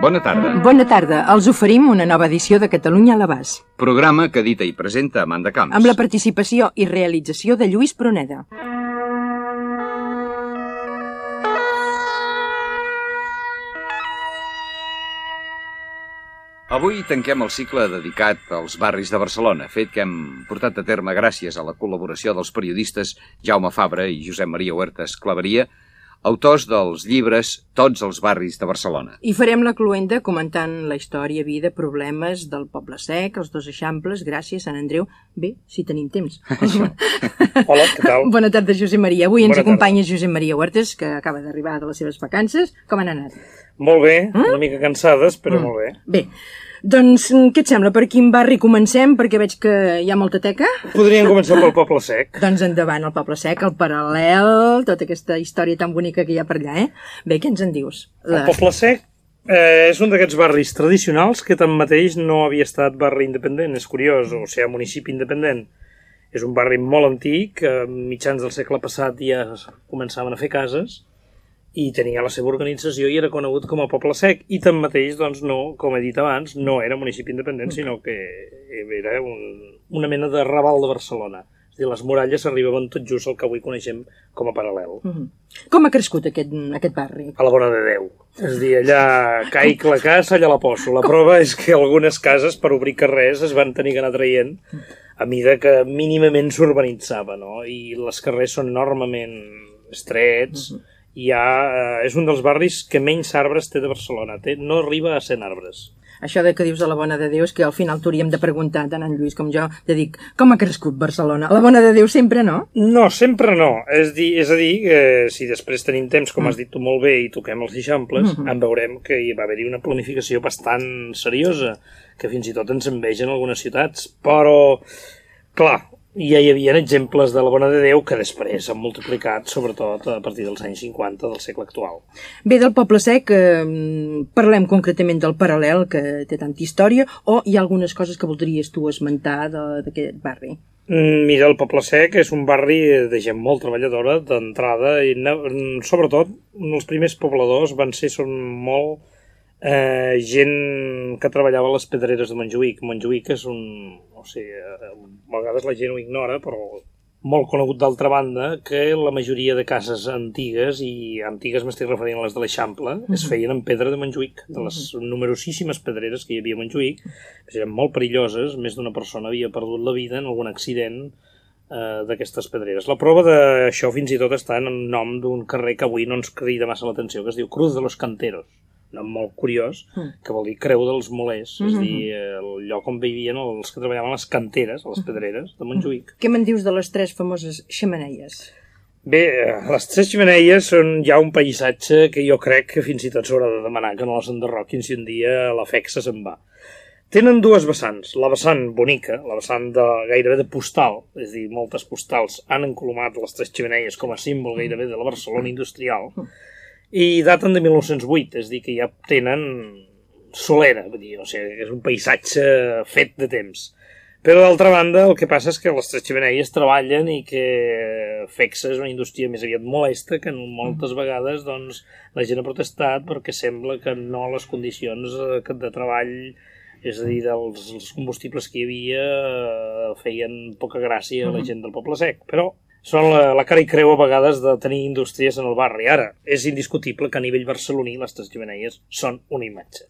Bona tarda. Bona tarda. Els oferim una nova edició de Catalunya a l'abast. Programa que edita i presenta Amanda Camps. Amb la participació i realització de Lluís Pruneda. Avui tanquem el cicle dedicat als barris de Barcelona, fet que hem portat a terme gràcies a la col·laboració dels periodistes Jaume Fabra i Josep Maria Huertas Claveria, autors dels llibres Tots els barris de Barcelona. I farem la cluenda comentant la història, vida, problemes del Poble Sec, els dos eixamples, Gràcia, Sant Andreu... Bé, si tenim temps. Hola, què tal? Bona tarda, Josep Maria. Avui ens acompanya Josep Maria Huertas, que acaba d'arribar de les seves vacances. Com han anat? Molt bé, una mica cansades, però molt bé. Bé, doncs què et sembla? Per quin barri comencem? Perquè veig que hi ha molta teca. Podríem començar pel Poble Sec. Doncs endavant, el Poble Sec, el Paral·lel, tota aquesta història tan bonica que hi ha per allà, eh? Bé, què ens en dius? El Poble Sec és un d'aquests barris tradicionals que tanmateix no havia estat barri independent, és curiós, o sigui, municipi independent. És un barri molt antic, a mitjans del segle passat ja començaven a fer cases, i tenia la seva organització i era conegut com a Poble Sec, i tanmateix, doncs no, com he dit abans, no era municipi independent, sinó que era una mena de Raval de Barcelona. És a dir, les muralles arribaven tot just al que avui coneixem com a Paral·lel. Com ha crescut aquest barri? A la bona de Déu. És a dir, allà caic la casa, allà la poso. La prova és que algunes cases, per obrir carrers, es van tenir que anar traient a mida que mínimament s'urbanitzava, no? I les carrers són enormement estrets, és un dels barris que menys arbres té de Barcelona. No arriba a 100 arbres. Això que dius de la Bona de Déu és que al final t'hauríem de preguntar, tant en Lluís com jo, de dir, com ha crescut Barcelona? La Bona de Déu sempre no? No, sempre no. És a dir, si després tenim temps, com has dit tu molt bé, i toquem els eixamples, en veurem que hi va haver-hi una planificació bastant seriosa, que fins i tot ens envegen algunes ciutats. Però, clar, ja hi havia exemples de la Bona de Déu que després s'han multiplicat, sobretot a partir dels anys 50 del segle actual. Bé, del Poble Sec, parlem concretament del Paral·lel, que té tanta història, o hi ha algunes coses que voldries tu esmentar d'aquest barri? Mira, el Poble Sec és un barri de gent molt treballadora, d'entrada, i sobretot els primers pobladors són molt gent que treballava a les pedreres de Montjuïc. Montjuïc és a vegades la gent ho ignora, però molt conegut d'altra banda, que la majoria de cases antigues, i antigues m'estic referint a les de l'Eixample, es feien en pedra de Montjuïc, de les numerosíssimes pedreres que hi havia a Montjuïc. Eren molt perilloses, més d'una persona havia perdut la vida en algun accident d'aquestes pedreres. La prova d'això fins i tot està en el nom d'un carrer que avui no ens crida massa l'atenció, que es diu Cruz de los Canteros, un nom molt curiós, que vol dir creu dels molers, és a dir, el lloc on vivien els que treballaven a les canteres, a les pedreres de Montjuïc. Què me'n dius de les 3 famoses xemeneies? Bé, les 3 xemeneies són ja un paisatge que jo crec que fins i tot s'haurà de demanar que no les enderroquin si un dia la fexa se'n va. Tenen 2 vessants, la vessant bonica, la vessant gairebé de postal, és a dir, moltes postals han encolomat les 3 xemeneies com a símbol gairebé de la Barcelona industrial, i daten de 1908, és a dir, que ja tenen solera, és un paisatge fet de temps. Però d'altra banda, el que passa és que les 3 xemeneies treballen i que Fexa és una indústria més aviat molesta, que moltes vegades la gent ha protestat perquè sembla que no les condicions de treball, és a dir, dels combustibles que hi havia, feien poca gràcia a la gent del Poble Sec. Però són la cara i creu a vegades de tenir indústries en el barri. Ara, és indiscutible que a nivell barceloní les 3 xemeneies són una imatge.